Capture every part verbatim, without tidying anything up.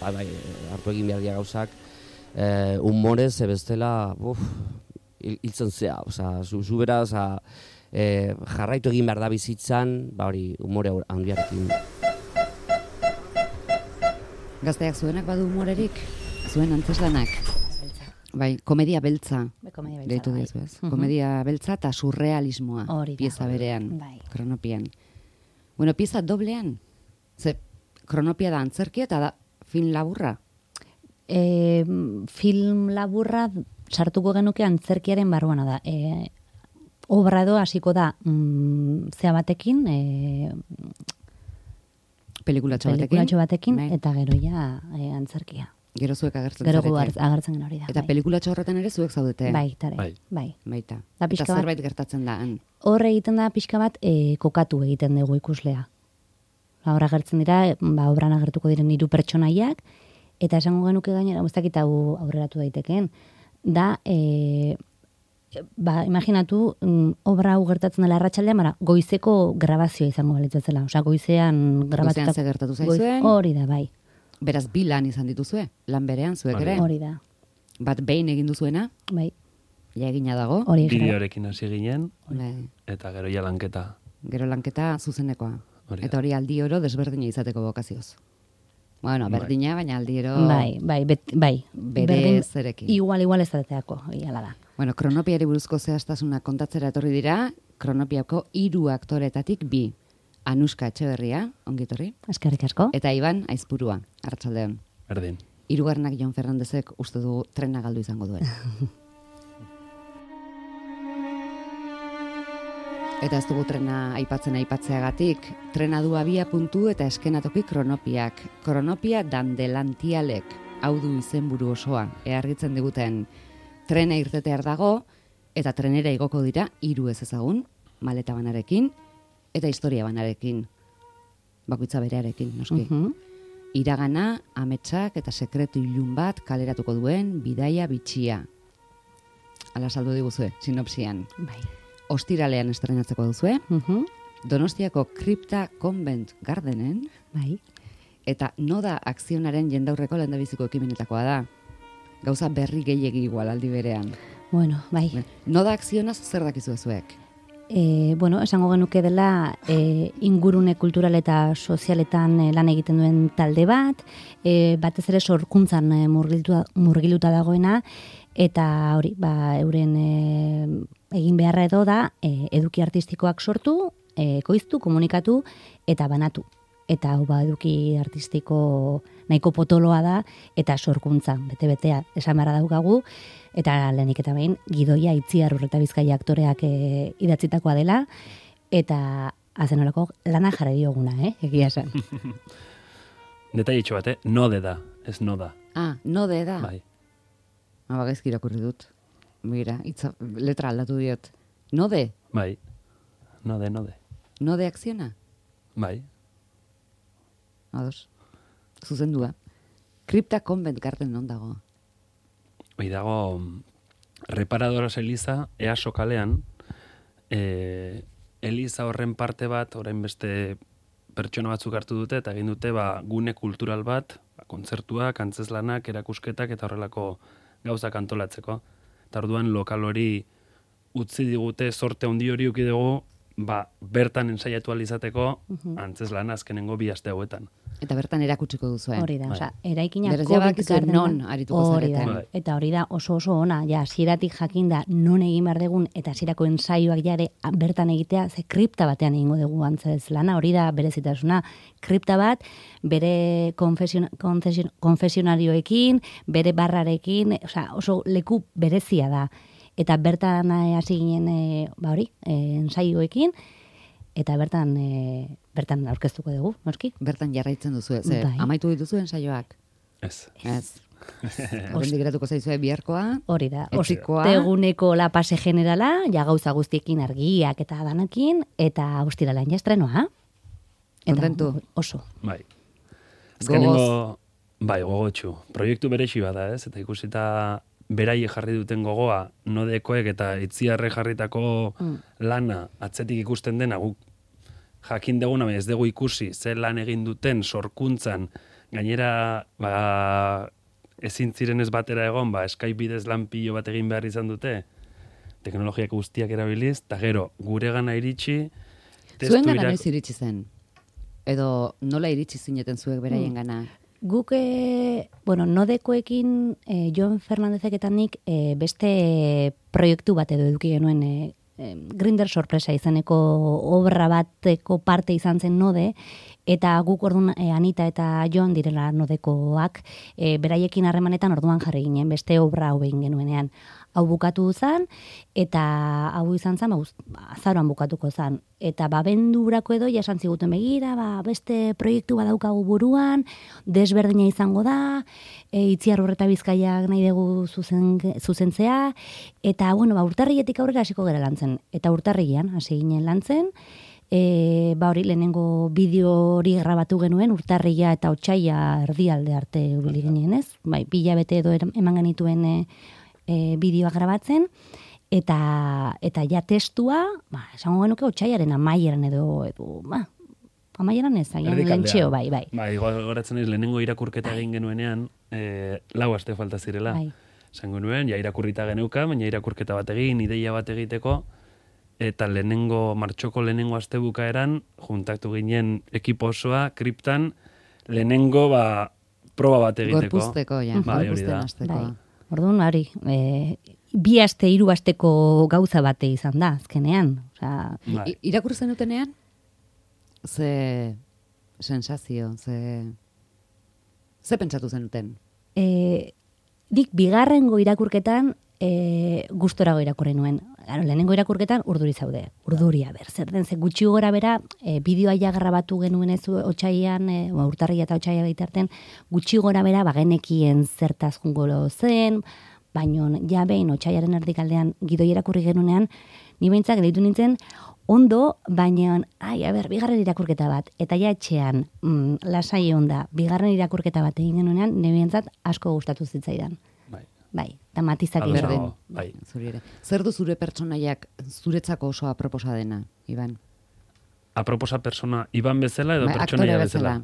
bai, bai, hartu egin behar dira gauzak, eh, humorez, ebestela, uf, hiltzen zea, oza, zu, zu bera, oza, eh, jarraitu egin behar da bizitzan, ba hori, humore handiarekin. Gazteak zuenak badu humorerik, zuen antzeslanak. Bai, komedia beltza. Bai, komedia beltza, deitu bai. dezu, ez? Mhm. Komedia beltza eta surrealismoa, Hori da. pieza berean, Bai. kronopian. Bueno, pieza doblean, ze kronopia da antzerkia eta da film laburra. E, film laburra sartuko genuke antzerkiaren barruana da. E, obra edo hasiko da mm, zea batekin, e, Pelikulatxo batekin. pelikulatxo batekin, Bai. eta gero ja e, antzerkia. Gero zuek agertzen Gero zarete. gu agertzen agertzen gen hori da. Eta bai. pelikulatxo horretan ere zuek zaudete. Bai, tare. Bai. Bai. Baita. Da Eta pixka bat- zerbait gertatzen da. han. Hor egiten da pixka bat e, kokatu egiten dugu ikuslea. Ba, hor agertzen dira, ba, obran agertuko diren hiru pertsonaiak, eta esango genuke gainera, ez dakit hau aurreratu daitekeen, da, e, ba, imaginatu, mm, obra hau gertatzen dela arratsaldean, bara, goizeko grabazioa izango balitzatzela. Osea, goizean grabatuta. ze gertatu goiz- zaizuen? Hori da, bai. Beraz, bi lan izan dituzue, lan berean zuek Hori ere. Hori da, Bat behin egin duzuena, bai. ja egina dago. Hori gara. Bideorekin hasi ginen, Bai. eta gero ja lanketa. Gero lanketa zuzenekoa. Hori da. Eta hori aldi oro desberdina izateko bokazioz. Bueno, Bai. berdina, baina aldi oro Bai, bai, bet, bai. bere Berdin- zerekin. Igual, igual ez dateako, iala da. Bueno, kronopiari buruzko zehaztasuna kontatzera etorri dira, kronopiako hiru aktoretatik bi. Anuska Etxeberria, ongitorri, Eskerrik asko. eta Iban Aizpurua, arratsaldeon. Berdin. Hirugarrenak Jon Fernandezek uste du trena galdu izango duen. Eta ez dugu trena aipatzen aipatzeagatik, trena du abia puntu eta eskenatoki kronopiak. Kronopia dandelantialek, hau du izenburu osoa, ehargitzen diguten trena irtetear dago, eta trenera igoko dira hiru ez ezagun, maleta banarekin, eta historia banarekin. Bakoitza berearekin, noski. Mhm. Iragana, ametsak eta sekretu ilun bat kaleratuko duen bidaia bitxia. Ala saldu diguzue, sinopsian. Bai. Ostiralean estrenatzeko duzue, Mhm. Donostiako Kripta Convent Gardenen, Bai. eta Noda Akzionaren jendaurreko lehendabiziko ekimenetakoa da. Gauza berri gehiegi igual aldi berean. Bueno, bai. Noda Akzionaz zer dakizu zuek? E, bueno, esango genuke dela e, ingurune kultural eta sozialetan e, lan egiten duen talde bat, e, batez ere sorkuntzan e, murgiltua, murgiluta dagoena, eta hori, ba, euren e, egin beharra edo da e, eduki artistikoak sortu, e, ekoiztu, komunikatu eta banatu. Eta hau ba, eduki artistiko nahiko potoloa da, eta sorkuntza, bete-betea esan beharra daukagu, eta lehenik eta behin, Gidoia Itziar Urreta Bizkaia aktoreak e, idatzitakoa dela, eta azenolako lana jarri dioguna, eh? Egia esan. Detailitxo bat, eh? Node da, ez noda. Ah, Node da. Bai. Haba gaizki irakurri dut. Mira, itza, letra aldatu diot. Node? Bai. Node, node. Node Akziona? Bai. Ados. Zuzendua. Kripta Convent Garden non dago? Hoi dago, Reparadoras Eliza, Easo kalean, e, Eliza horren parte bat, orain beste pertsona batzuk hartu dute, eta egin dute ba, gune kultural bat, ba, kontzertuak, antzeslanak, erakusketak, eta horrelako gauzak antolatzeko. Eta orduan lokal hori utzi digute, sorte handi hori uki dugu, ba, bertan ensaiatu alizateko, antzeslana azkenengo bi aste hauetan. Eta bertan erakutsiko duzuen. Hori da, Bai. osea, eraikina Berez COVID badakizue gardena- non arituko Hori da, zareten. Bai. eta hori da oso oso ona, ja, hasieratik jakinda non egin behar dugun, eta hasierako ensaioak jare bertan egitea, ze kripta batean egingo dugu antzez lana, hori da berezitasuna. Kripta bat, bere konfesion, konfesion, konfesionarioekin, bere barrarekin, osea, oso leku berezia da. Eta bertan eh, hasi ginen, eh, ba hori, eh, ensaioekin, eta bertan e, bertan aurkeztuko dugu, noski? Bertan jarraitzen duzu, ze Bai. amaitu dituzuen saioak. Ez. Ez. Horrendik geratuko zaizue biharkoa, Hori da, Etxikoa. osteguneko la pase generala, ja gauza guztiekin argiak eta danakin, eta ostiralean ja estrenoa. Eta Kontentu? Oso. Bai. Gogoz. Azkenengo, bai, gogotxu. Proiektu berexi bada, ez? Eta ikusita beraie jarri duten gogoa, nodekoek eta itziarre jarritako Mm. lana atzetik ikusten dena, guk jakin deguna, baina ez dugu ikusi, ze lan egin duten sorkuntzan gainera, ba, ezin ziren ez batera egon, ba, Skype bidez lan pilo bat egin behar izan dute, teknologiak guztiak erabiliz, eta gero, gure gana iritsi, zuen gana noiz iritsi zen? Edo nola iritsi zineten zuek beraien gana? Guk, e, bueno, nodekoekin, e, Jon Fernandezek eta nik e, beste proiektu bat edo eduki genuen e, e, Grindr sorpresa izeneko obra bateko parte izan zen node, eta guk orduan e, Anita eta Jon direla nodekoak, e, beraiekin harremanetan orduan jarri ginen, beste obra hau egin genuenean. Hau bukatu zen, eta hau izan zen, ba, azaroan bukatuko zen. Eta babendurako edo, jasan ziguten begira, ba, beste proiektu badaukagu buruan, desberdina izango da, e, Itziar Urreta Bizkaiak nahi dugu zuzen, zuzentzea, eta, bueno, ba, urtarrietik aurrera hasiko gara lantzen. Eta urtarrian hasi ginen lantzen, e, ba hori lehenengo bideo hori grabatu genuen, urtarria eta otsaila erdialde arte ubili ginen, ez? Bai, bila bete edo eman genituen e, E, bideoa grabatzen, eta eta ja testua, ba, esango genuke otsailaren amaieran edo, edo ba, amaieran ez, agian lentxeo, bai, bai. Ba, igual goratzen ez, lehenengo irakurketa egin genuenean, e, lau aste falta zirela. Bai. Esango nuen, ja irakurrita geneuka, baina irakurketa bat egin, ideia bat egiteko, eta lehenengo, martxoko lehenengo aste bukaeran, juntatu ginen ekipo osoa, kriptan, lehenengo, ba, proba bat egiteko. Gorpuzteko, ja, bai, gorpuzten azteko. Bai. Orduan, hori, e, bi aste, hiru asteko gauza bate izan da, azkenean. Osea, Bai. Irakurri zenutenean, ze sensazio, ze, ze pentsatu zenuten? E, dik bigarrengo irakurketan e, gustorago irakurri nuen. Claro, lehenengo irakurketan urduri zaude. Urduria, ber, zer den, ze gutxi gora bera, e, bideoa ja grabatu genuen ez otsailean, e, urtarria eta otsaila bitarten, gutxi gora bera, bagenekien zertaz jungolo zen, baino ja behin otsailaren erdikaldean gidoi irakurri genunean, ni behintzak deitu nintzen, ondo, baina, ai, a ber, bigarren irakurketa bat, eta ja etxean, mm, lasai onda, bigarren irakurketa bat egin genunean, nire behintzat asko gustatu zitzaidan. Bai. Bai, eta matizak Ados berdin. nago, bai. Zuri ere. Zer du zure pertsonaiak zuretzako oso aproposa dena, Iban? Aproposa persona, Iban bezala edo Bai, pertsonaia aktore bezala?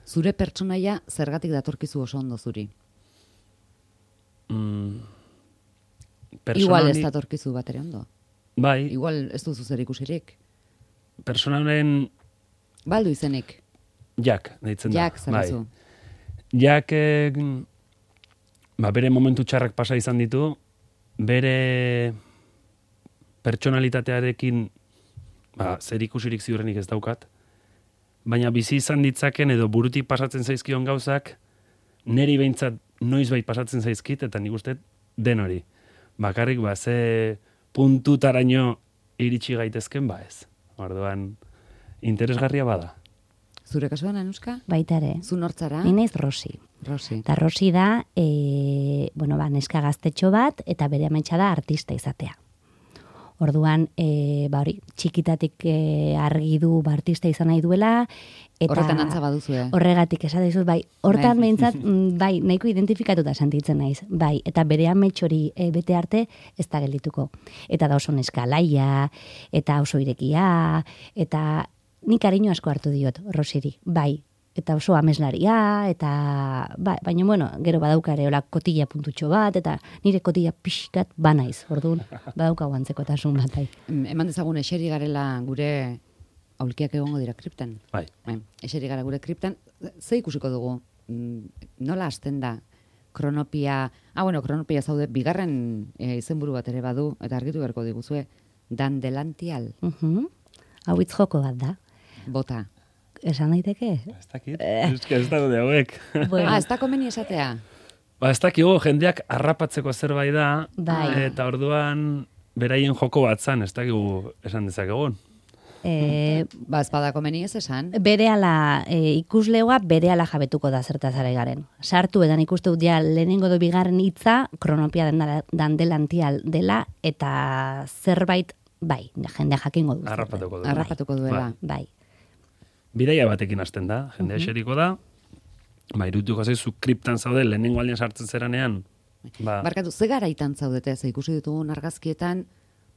Zure pertsonaia zergatik datorkizu oso ondo zuri? Mm, Igual ez personali- datorkizu bat ere ondo. Bai, Igual ez duzu zer ikusirik. personalen Baldu izenik. Jak, deitzen da. Jak, zerazu. Jak, eh, ba, bere momentu txarrak pasa izan ditu, bere pertsonalitatearekin ba, zer ikusirik ziurrenik ez daukat, baina bizi izan ditzaken edo burutik pasatzen zaizkion gauzak, neri behintzat noizbait pasatzen zaizkit, eta nik uste den hori. Bakarrik, ba, ze puntutaraino iritsi gaitezken, ba ez. Orduan, interesgarria bada. Zure kasuan, Anuska? Baita ere. Zu nortzara? Ni naiz Rosi. Rosi. Eta Rosi da, e, bueno, ba, neska gaztetxo bat, eta bere ametsa da artista izatea. Orduan, e, ba hori, txikitatik e, argi du ba, artista izan nahi duela, eta Horretan antza baduzue. horregatik esate dizut, bai, hortan Bai. behintzat, mm, bai, nahiko identifikatuta sentitzen naiz, bai, eta bere amets hori e, bete arte ez da geldituko. Eta da oso neska laia, eta oso irekia, eta nik kariño asko hartu diot, Rosiri, bai, eta oso ameslaria, eta, ba, baina, bueno, gero badauka ere, hola, kotilla puntutxo bat, eta nire kotilla pixkat banaiz, orduan, badauka guantzekotasun bat, bai. Em, Eman dezagun eseri garela gure aulkiak egongo dira kriptan. Bai. Bai, eseri gara gure kriptan. Ze ikusiko dugu? Mm, Nola hasten da? Kronopia, ah, bueno, kronopia zaude, bigarren e, izenburu bat ere badu, eta argitu beharko diguzue, dandelantial, Uhum. Hau hitz joko bat da. bota. Esan daiteke? Ez dakit, ez ez daude hauek. Bueno, Ah, ez da komeni esatea? Ba, ez dakigu, jendeak harrapatzeko zerbait da, Bai. eta orduan beraien joko bat zan, ez dakigu esan dezakegun. e, Ba, ez bada komeni ez esan. berehala e, ikuslegoa berehala jabetuko da zertaz ari garen. Sartu edan ikuste dut ja lehenengo do bigarren hitza kronopia dendala- dandelantial dela eta zerbait bai, jendea jakingo du. Harrapatuko du. Harrapatuko duela. Bai. Bidaia batekin hasten da, jendea eseriko da, ba, irutuko zaizu kriptan zaude, lehenengo aldean sartzen zeranean, ba, Barkatu, ze garaitan zaudete, ze ikusi ditugun argazkietan,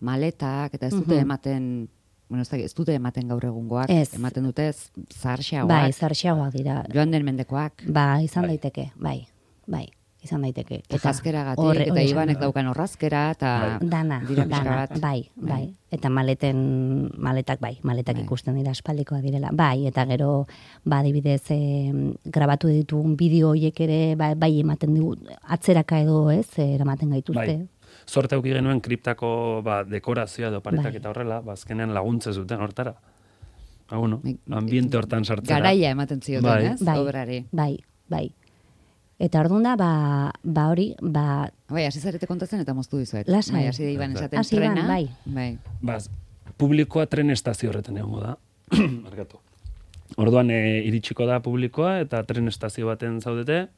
maletak, eta ez dute ematen bueno, ez, da, ez dute ematen gaur egungoak, Ez. ematen dute zaharxeagoak, Bai, zarxeagoak dira. joan den mendekoak, Ba, izan Bai. daiteke, bai, bai, izan daiteke. eta jazkeragatik, horre- eta hori esan Ibanek dut. daukan horrazkera, eta Dana, dira pixka dana, bat. bai, bai, Bai. eta maleten, maletak bai, maletak Bai. ikusten dira espaldikoa direla, bai, eta gero, ba, adibidez, e, grabatu ditugun bideo horiek ere, bai, bai ematen digu, atzeraka edo, ez, eh, eramaten gaituzte. Bai. Zorte auki genuen kriptako ba, dekorazioa edo paretak Bai. eta horrela, ba, azkenean laguntze zuten hortara. Ba, bueno, Bai. ambiente hortan sartzera. Garaia ematen zioten, Bai. ez? Bai. Obrari. Bai, bai. Eta orduan da, ba, ba hori, ba, Bai, hasi zarete kontatzen eta moztu dizuet. Lasai. Bai, hasi da Iban esaten Hasi Iban, trena. bai. Bai. Ba, publikoa tren estazio horretan egongo da. Markatu. Orduan e, iritsiko da publikoa eta tren estazio baten zaudete,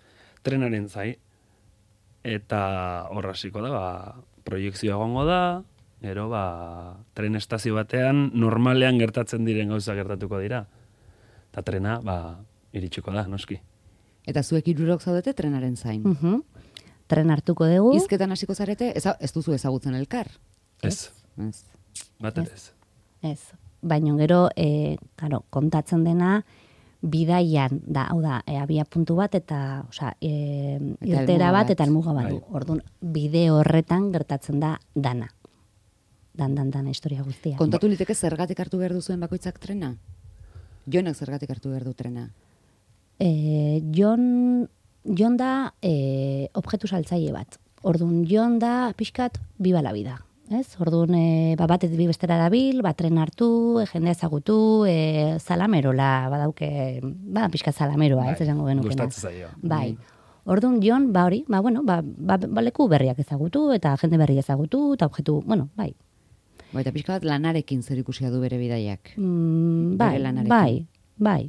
trenaren zai. Eta hor hasiko da, ba, proiekzioa egongo da, gero ba, tren estazio batean normalean gertatzen diren gauza gertatuko dira. Eta trena, ba, iritsiko da, noski. Eta zuek hirurok zaudete trenaren zain. mhm, tren hartuko dugu. Hizketan hasiko zarete, eza, ez duzu ezagutzen elkar. Ez, Ez. bat ere ez. Ez. Baina gero, e, karo, kontatzen dena, bidaian da, hau da, e, abia puntu bat eta, osea, e, Eta irtera helmuga bat bat. eta helmuga bat du. Bai. Orduan, bide horretan gertatzen da dana. Dan, dan, dan, historia guztia. Kontatu liteke zergatik hartu behar duzuen bakoitzak trena? Jonek zergatik hartu behar du trena? E, Jon, Jon da e, objektu saltzaile bat. Orduan, Jon da pixkat biba la vida. Ez? Orduan, e, ba, batetik bi bestera dabil, ba, tren hartu, e, jendea ezagutu, e, salamerola, badauke, ba, pixkat salameroa, ez esango genukena. Gustatzen zaio. Bai. Orduan, Jon, ba hori, ba, bueno, ba, ba, ba, leku berriak ezagutu, eta jende berri ezagutu, eta objektu, bueno, bai. Bai, eta pixka bat lanarekin zer ikusia du bere bidaiak. Mm, bai, Bere lanarekin. bai, bai.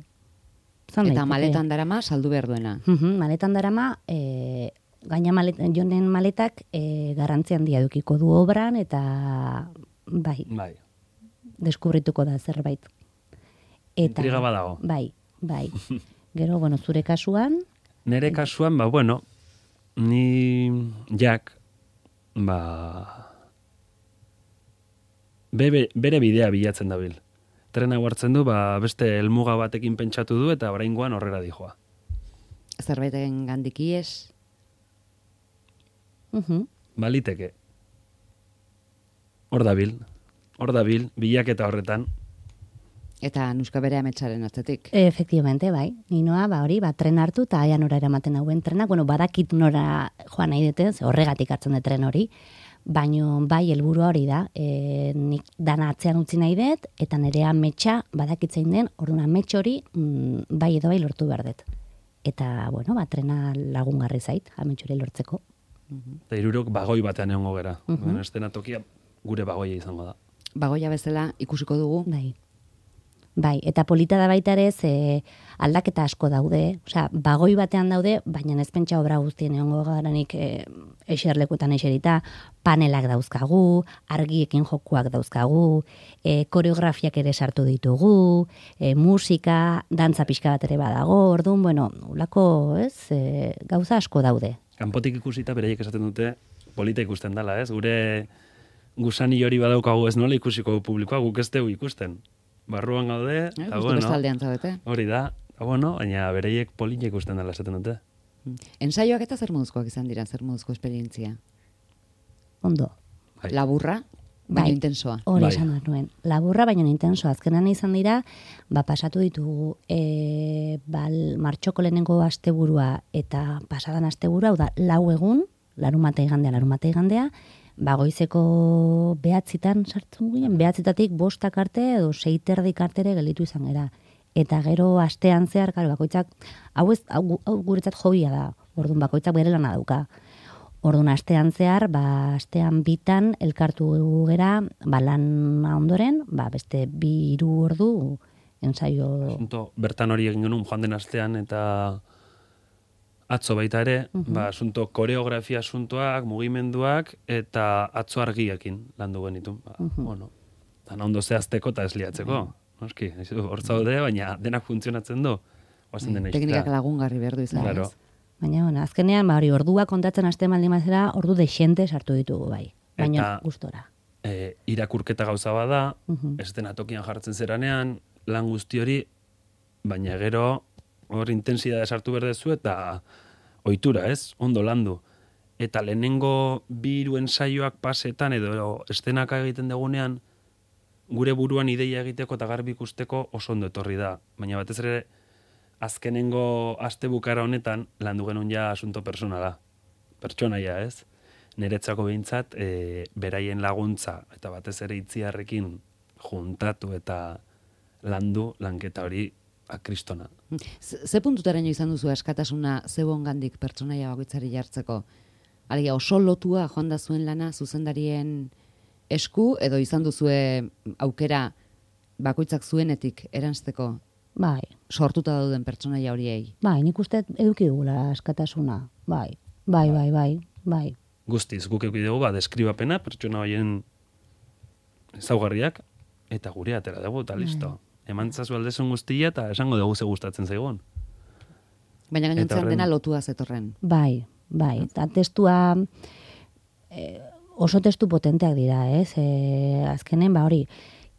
Zan Eta daiteke. maletan darama saldu behar duena. Mhm, maletan darama, e, gaina malet, jonen maletak e, garrantzi handia edukiko du obran, eta bai, Bai. deskubrituko da zerbait. Eta, Intriga badago. Bai, bai. Gero, bueno, zure kasuan, Nere kasuan, ba, bueno, ni jak, ba, bebe, bere bidea bilatzen dabil. Trena hartzen du, ba, beste helmuga batekin pentsatu du eta oraingoan horrera dijoa. Zerbaiten gandik ies, mhm, Baliteke. Hor dabil, hor dabil, bilaketa horretan. eta nuska bere ametsaren atzetik. efectivamente, bai. Ninoa, ba hori, ba, tren hartu, eta aia nora eramaten hauen trenak, bueno, badakit nora joan nahi dute, ze horregatik hartzen dut tren hori, baino bai helburua hori da, e, nik dana atzean utzi nahi dut, eta nire ametsa badakitzein den, orduan amets hori mm, bai edo bai lortu behar dut. Eta, bueno, ba, trena lagungarri zait, amets hori lortzeko. Eta hirurok bagoi batean egongo gera. Mhm. Bueno, eszenatokia gure bagoia izango da. Bagoia bezala ikusiko dugu. Bai. Bai, eta polita da baita ere, ze aldaketa asko daude, osea, bagoi batean daude, baina ez pentsa obra guztien egongo garanik e, eserlekuetan eserita, panelak dauzkagu, argiekin jokuak dauzkagu, e, koreografiak ere sartu ditugu, e, musika, dantza pixka bat ere badago, orduan, bueno, ulako, ez, e, gauza asko daude. Kanpotik ikusita bereiek esaten dute polita ikusten dela, ez? Gure gusani hori badaukagu ez nola ikusiko du publikoa, guk ez dugu ikusten. Barruan gaude, Eh, eta justu bueno, bestaldean zaudete. hori da, eta bueno, baina bereiek polita ikusten dela esaten dute. Ensaioak eta zer moduzkoak izan dira, zer moduzko esperientzia. Ondo. Bai. Laburra, baina Bai. intensoa. Hori Bai. esan dut nuen. Laburra, baina intenso. Azkenan izan dira, ba, pasatu ditugu e, bal, martxoko lehenengo asteburua eta pasadan asteburua, hau da, lau egun, larumata igandea, larumata igandea, ba, goizeko behatzitan sartzen ginen, behatzitatik bostak arte edo seiterdik artere gelditu izan gera. Eta gero astean zehar, karo, bakoitzak, hau, ez, hau, hau guretzat hobia da, orduan bakoitzak bere lana dauka. Orduan astean zehar, ba, astean bitan elkartu gera, ba, lan ondoren, ba, beste bi hiru ordu ensaio. Asunto, bertan hori egin genuen joan den astean eta atzo baita ere, ba, asunto koreografia asuntoak, mugimenduak eta atzo argiekin landu genitu. Ba, bueno, tan ondo zehazteko eta ez liatzeko. Noski, hor zaude, baina denak funtzionatzen du. Oazen dena Teknikak lagungarri behar du izan. Claro. ez? Baina, bueno, azkenean, ba, hori ordua kontatzen haste maldin bazera, ordu dexente sartu ditugu bai. Baina Eta- gustora. e, irakurketa gauza bada, Mhm. eszenatokian jartzen zeranean, lan guzti hori, baina gero hor intensidade sartu berdezu eta ohitura, ez? Ondo landu. Eta lehenengo bi hiru ensaioak pasetan edo eszenaka egiten dugunean, gure buruan ideia egiteko eta garbi ikusteko oso ondo etorri da. Baina batez ere, azkenengo aste bukara honetan, landu genuen ja asunto personala. Pertsonaia, ez? Niretzako behintzat, e, beraien laguntza, eta batez ere itziarrekin juntatu eta landu, lanketa hori akristona. Ze ze puntutaraino izan duzu askatasuna zeuongandik pertsonaia bakoitzari jartzeko? Alegia oso lotua joan da zuen lana zuzendarien esku edo izan duzue aukera bakoitzak zuenetik eransteko Bai, sortuta dauden pertsonaia horiei? bai, nik uste eduki dugula askatasuna. Bai, bai, bai, bai, bai. Guztiz, guk eduki dugu, ba, deskribapena, pertsona horien ezaugarriak, eta gure atera dugu, eta listo. Emantzazu aldezun guztia, eta esango dugu ze gustatzen zaigun. Baina gainontzean horren- dena lotua zetorren. Bai, bai, eta testua eh, oso testu potenteak dira, ez? Eh, azkenen, ba hori,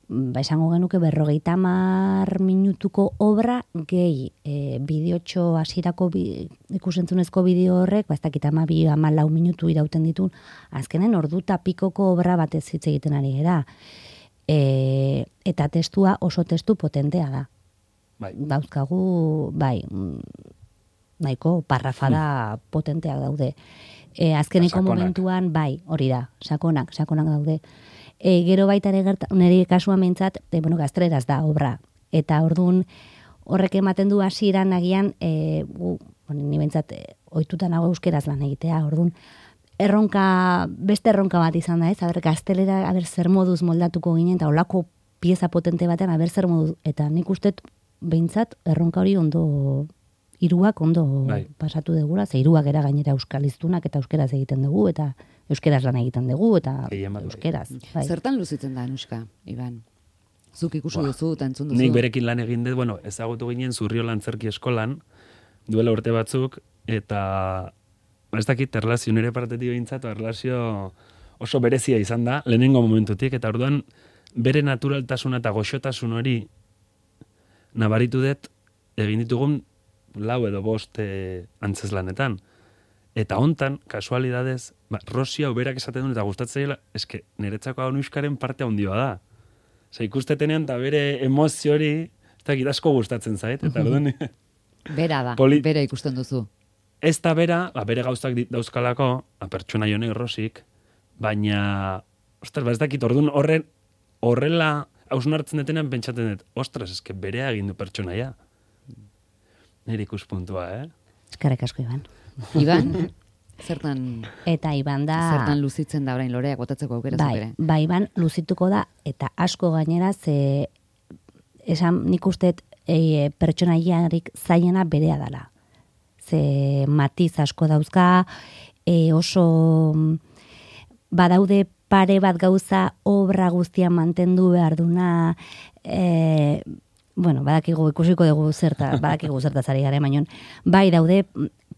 ba esango genuke berrogeita hamar minutuko obra gehi eh, bideotxo hasierako bi, ikusentzunezko bideo horrek, ba ez dakit hamabi, hamalau minutu irauten ditun, azkenen ordu eta pikoko obra batez hitz egiten ari gara. E, eta testua oso testu potentea da. Bai. Dauzkagu, bai, mm, nahiko parrafada potenteak daude. E, azkeneko Sakonak. momentuan, bai, hori da, sakonak, sakonak daude. E, gero baita ere gerta, nire kasuan behintzat, e, bueno, gazteleraz da obra. Eta orduan horrek ematen du hasieran agian, e, gu, bueno, ni behintzat e, ohituta nago euskeraz lan egitea, orduan erronka, beste erronka bat izan da, ez? Aber, gaztelera, aber, zer moduz moldatuko ginen, eta olako pieza potente batean, aber, zer moduz, eta nik ustet, behintzat, erronka hori ondo, hiruak ondo Bai. pasatu degula, ze hiruak era gainera euskaliztunak eta euskeraz egiten dugu, eta euskeraz lan egiten dugu, eta Gehien bat, bai. euskeraz. Bai. Zertan luzitzen da, Anuska, Iban? Zuk ikusi Buah. duzu eta entzun duzu. Nik berekin lan egin dut, bueno, ezagutu ginen Zurriola Antzerki Eskolan, duela urte batzuk, eta ez dakit, erlazio nire partetik behintzat, erlazio oso berezia izan da, lehenengo momentutik, eta orduan bere naturaltasuna eta goxotasun hori nabaritu dut egin ditugun lau edo bost e, antzeslanetan. Eta hontan, kasualidadez, ba, Rosia uberak esaten duen eta gustatzea, eske niretzako Anuskaren parte handia da. Osa, ikustetenean eta bere emozio hori, ez dakit asko gustatzen zait, eta orduan Bera da, Poli- bera ikusten duzu. ez da bera, ba, bere gauzak dit- dauzkalako, ba, pertsona jonek Rosik, baina, ostras, ba, ez dakit, orduan horren, horrela hausnartzen detenean pentsatzen dut, ostras, eske berea egin du pertsonaia. Nire ikuspuntua, eh? Eskerrik asko, Iban. Iban, zertan, Eta Iban da... zertan luzitzen da orain loreak botatzeko aukera zuk Bai, ere? bai, Iban luzituko da, eta asko gainera, ze esan nik usteet e, pertsonaiarik zailena berea dala. Ze matiz asko dauzka, e, oso mm, badaude pare bat gauza obra guztia mantendu behar duna, e, bueno, badakigu ikusiko dugu zerta, badakigu zerta zari garen, baina bai daude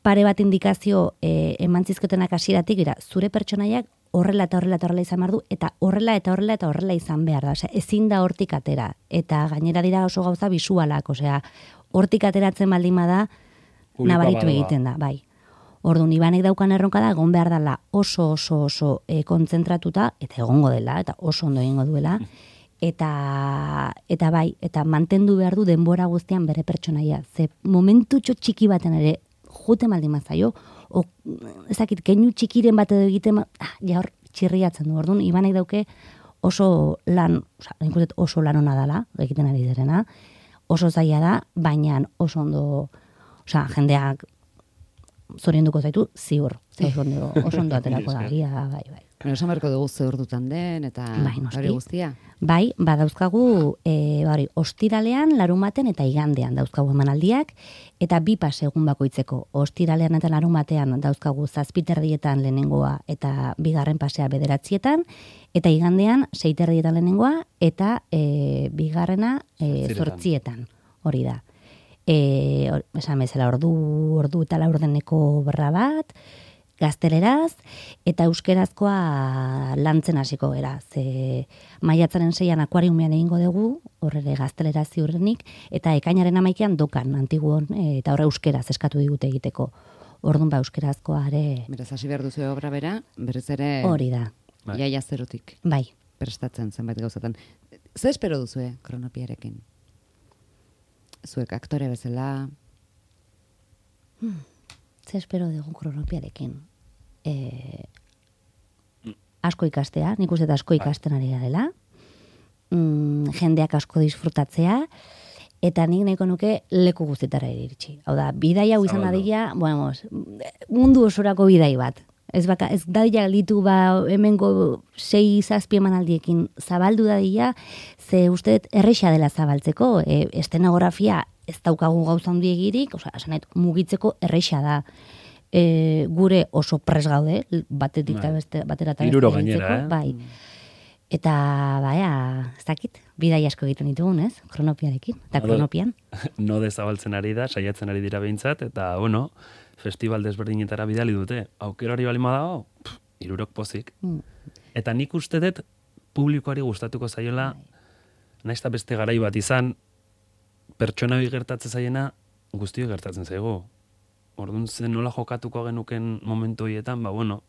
pare bat indikazio e, emantzizkotenak hasieratik dira, zure pertsonaiak horrela eta horrela eta horrela izan behar du, eta horrela eta horrela eta horrela izan behar da. Osea, ezin da hortik atera. Eta gainera dira oso gauza bisualak, osea, hortik ateratzen baldin bada, Publikoa nabaritu badoa. egiten da, bai. Orduan, Ibanek daukan erronka da, egon behar dela oso oso oso e, kontzentratuta, eta egongo dela, eta oso ondo egingo duela, eta, eta bai, eta mantendu behar du denbora guztian bere pertsonaia. Ze momentutxo txiki baten ere, jute maldin mazaio, o, ezakit, keinu txikiren bat edo egiten, ma- ah, ja hor txirriatzen du. Orduan, Ibanek dauke oso lan, oza, nik uste dut oso lan ona dela, egiten ari derena, oso zaila da, baina oso ondo, osea, jendeak zorionduko zaitu, ziur. Ze Oso ondo, oso ondo aterako da, gia, bai, bai. Bueno, esan beharko dugu ze ordutan den, eta Bai, noski. hori guztia. Bai, badauzkagu, e, hori, ostiralean, larumaten eta igandean dauzkagu emanaldiak, eta bi pas egun bakoitzeko. Ostiralean eta larumatean dauzkagu zazpiterdietan lehenengoa eta bigarren pasea bederatzietan, eta igandean seiterdietan lehenengoa eta e, bigarrena e, Zortzietan. zortzietan. Hori da. E, or, esan bezala ordu, ordu eta laurdeneko obra bat, gazteleraz, eta euskerazkoa lantzen hasiko gera. Ze maiatzaren seian akuariumean egingo dugu, horre gazteleraz ziurrenik, eta ekainaren amaikean dokan, antiguon, eta horre euskeraz eskatu digute egiteko. Orduan ba euskerazkoa ere... Beraz, hasi behar duzu obra bera, berriz ere... Hori da. Iaia zerotik. Bai. Prestatzen zenbait gauzatan. Ze espero duzue kronopiarekin? Zuek aktore bezala... Hmm. Ze espero dugu kronopiarekin? E... Asko ikastea, nik uste asko ikasten ari garela. Mm, jendeak asko disfrutatzea, eta nik nahiko nuke leku guztietara iritsi. Hau da, bidai hau izan dadila, bueno, mundu osorako bidai bat. Ez baka, ez dadila ditu ba hemengo sei zazpi emanaldiekin zabaldu dadila, ze uste erresa dela zabaltzeko, e, estenografia ez daukagu gauza handiegirik, osea, esanet, mugitzeko erresa da. E, gure oso pres gaude, batetik eta beste, batera eta Hiruro gainera, eh? Bai. Eta, baina, ez dakit, bidai asko egiten ditugun, ez? Kronopiarekin, eta kronopian. Node zabaltzen ari da, saiatzen ari dira behintzat, eta, bueno, festival desberdinetara bidali dute. Aukera hori balima dago, hirurok pozik. Mm. Eta nik uste dut publikoari gustatuko zaiola, nahiz eta beste garai bat izan, pertsona bi gertatzen zaiena, guztio gertatzen zaigu. Orduan zen nola jokatuko genuken momentu horietan, ba, bueno,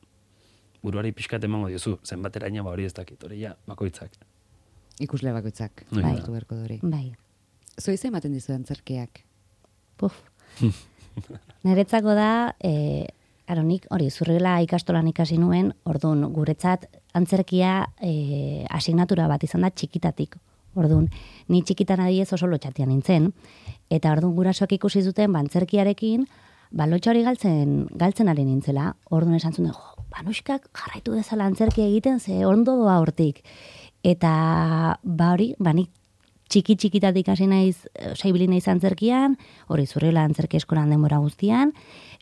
buruari pixkat emango diozu, zenbateraina ba hori ez dakit, hori ja, bakoitzak. Ikusle bakoitzak, bai. hartu beharko dori. Bai. Zoize ematen dizu antzerkiak? Puf. Niretzako da, e, aronik, hori, zurrela ikastolan ikasi nuen, orduan, guretzat antzerkia e, asignatura bat izan da txikitatik. Orduan, ni txikitan adiez oso lotxatian nintzen, eta orduan gurasoak ikusi zuten bantzerkiarekin, ba, lotxa hori galtzen, galtzen ari nintzela, orduan esan zuen, jo, banuskak jarraitu dezala antzerkia egiten, ze ondo doa hortik. Eta, ba hori, ba nik txiki txikitatik hasi naiz, saibili naiz antzerkian, hori zurrela antzerki eskolan denbora guztian,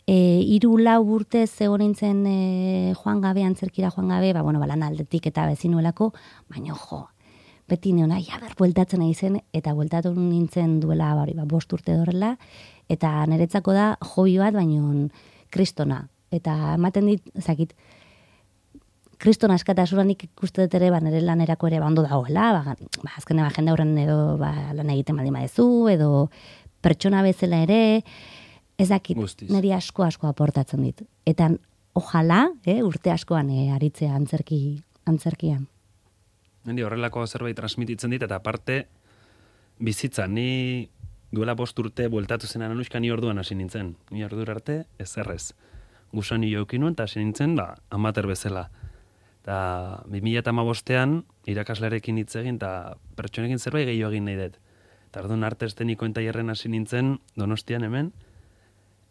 e, hiru lau urte zegoen nintzen e, joan gabe, antzerkira joan gabe, ba, bueno, balan aldetik eta bezinuelako, baina jo, beti neona, ja, ber, bueltatzen nahi zen, eta bueltatu nintzen duela, ba, hori, ba, bost urte dorrela, eta niretzako da hobi bat, baino kristona. Eta ematen dit, ezakit, kriston askatasunik ikuste dut ere, ba, nire lanerako ere bando dagoela, ba, ba, azkene ba, jende horren edo ba, lan egiten baldin badezu, edo pertsona bezala ere, ezakit, niri asko asko aportatzen dit. Eta ojala, eh, urte askoan eh, aritzea antzerki, antzerkian. Niri horrelako zerbait transmititzen dit, eta aparte, bizitza, ni duela bost urte bueltatu zen anuska ni orduan hasi nintzen. Ni ordura arte, ez errez. Gusani jokin nuen, eta hasi nintzen, ba, amater bezala. Eta bi mila hamabostean irakaslearekin hitz egin, eta pertsonekin zerbait gehiago egin nahi dut. Eta orduan arte estenikoen tailerren hasi nintzen, Donostian hemen.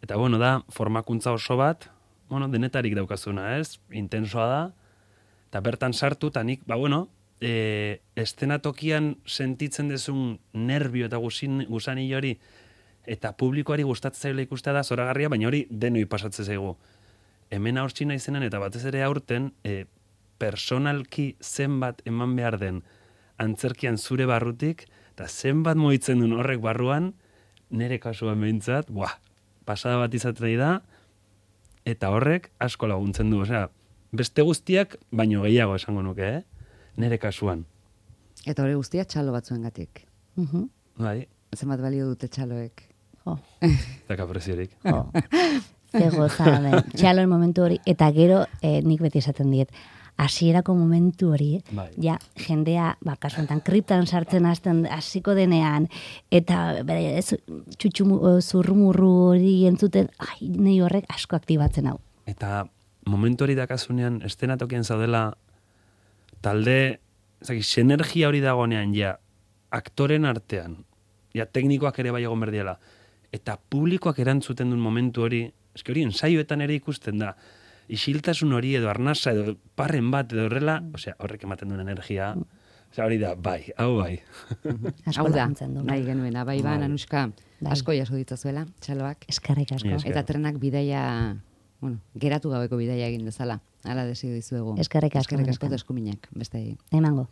Eta bueno, da, formakuntza oso bat, bueno, denetarik daukazuna, ez? Intensoa da. Eta bertan sartu, eta nik, ba bueno, e, estenatokian sentitzen dezun nervio eta gusani hori, eta publikoari gustatzen zaila ikustea da zoragarria, baina hori denoi pasatzen zaigu. Hemen aurtsi naizenan eta batez ere aurten, e, personalki zenbat eman behar den antzerkian zure barrutik, eta zenbat moitzen duen horrek barruan, nire kasuan behintzat, buah, pasada bat izaten nahi da, eta horrek asko laguntzen du, osea, beste guztiak, baino gehiago esango nuke, eh? Nire kasuan. Eta hori guztia txalo batzuengatik. Uh-huh. Bai. Zenbat balio dute txaloek. Jo. Eta preziorik. Jo. Ze gozada, txaloen momentu hori, eta gero eh, nik beti esaten diet, hasierako momentu hori, bai. Ja, jendea, ba, kasu enten, kriptan sartzen hasten hasiko denean, eta bere, ez, txutxu zurrumurru hori entzuten, ai, nahi horrek asko aktibatzen hau. Eta momentu hori dakasunean, estenatokian zaudela, talde, zaki, sinergia hori dagoenean, ja, aktoren artean, ja, teknikoak ere bai egon berdiela, eta publikoak erantzuten duen momentu hori, eski hori ensaioetan ere ikusten da, isiltasun hori edo arnasa edo parren bat edo horrela, osea, horrek ematen duen energia, osea, hori da, bai, hau bai. Hau da, nahi genuena, bai ba, Anuska, asko jaso ditzazuela, txaloak. Eskarrik asko. Eta trenak bidaia, bueno, geratu gabeko bidaia egin dezala, hala desio dizuegu. Eskarrik asko. Eskarrik asko eskuminak, beste. Emango.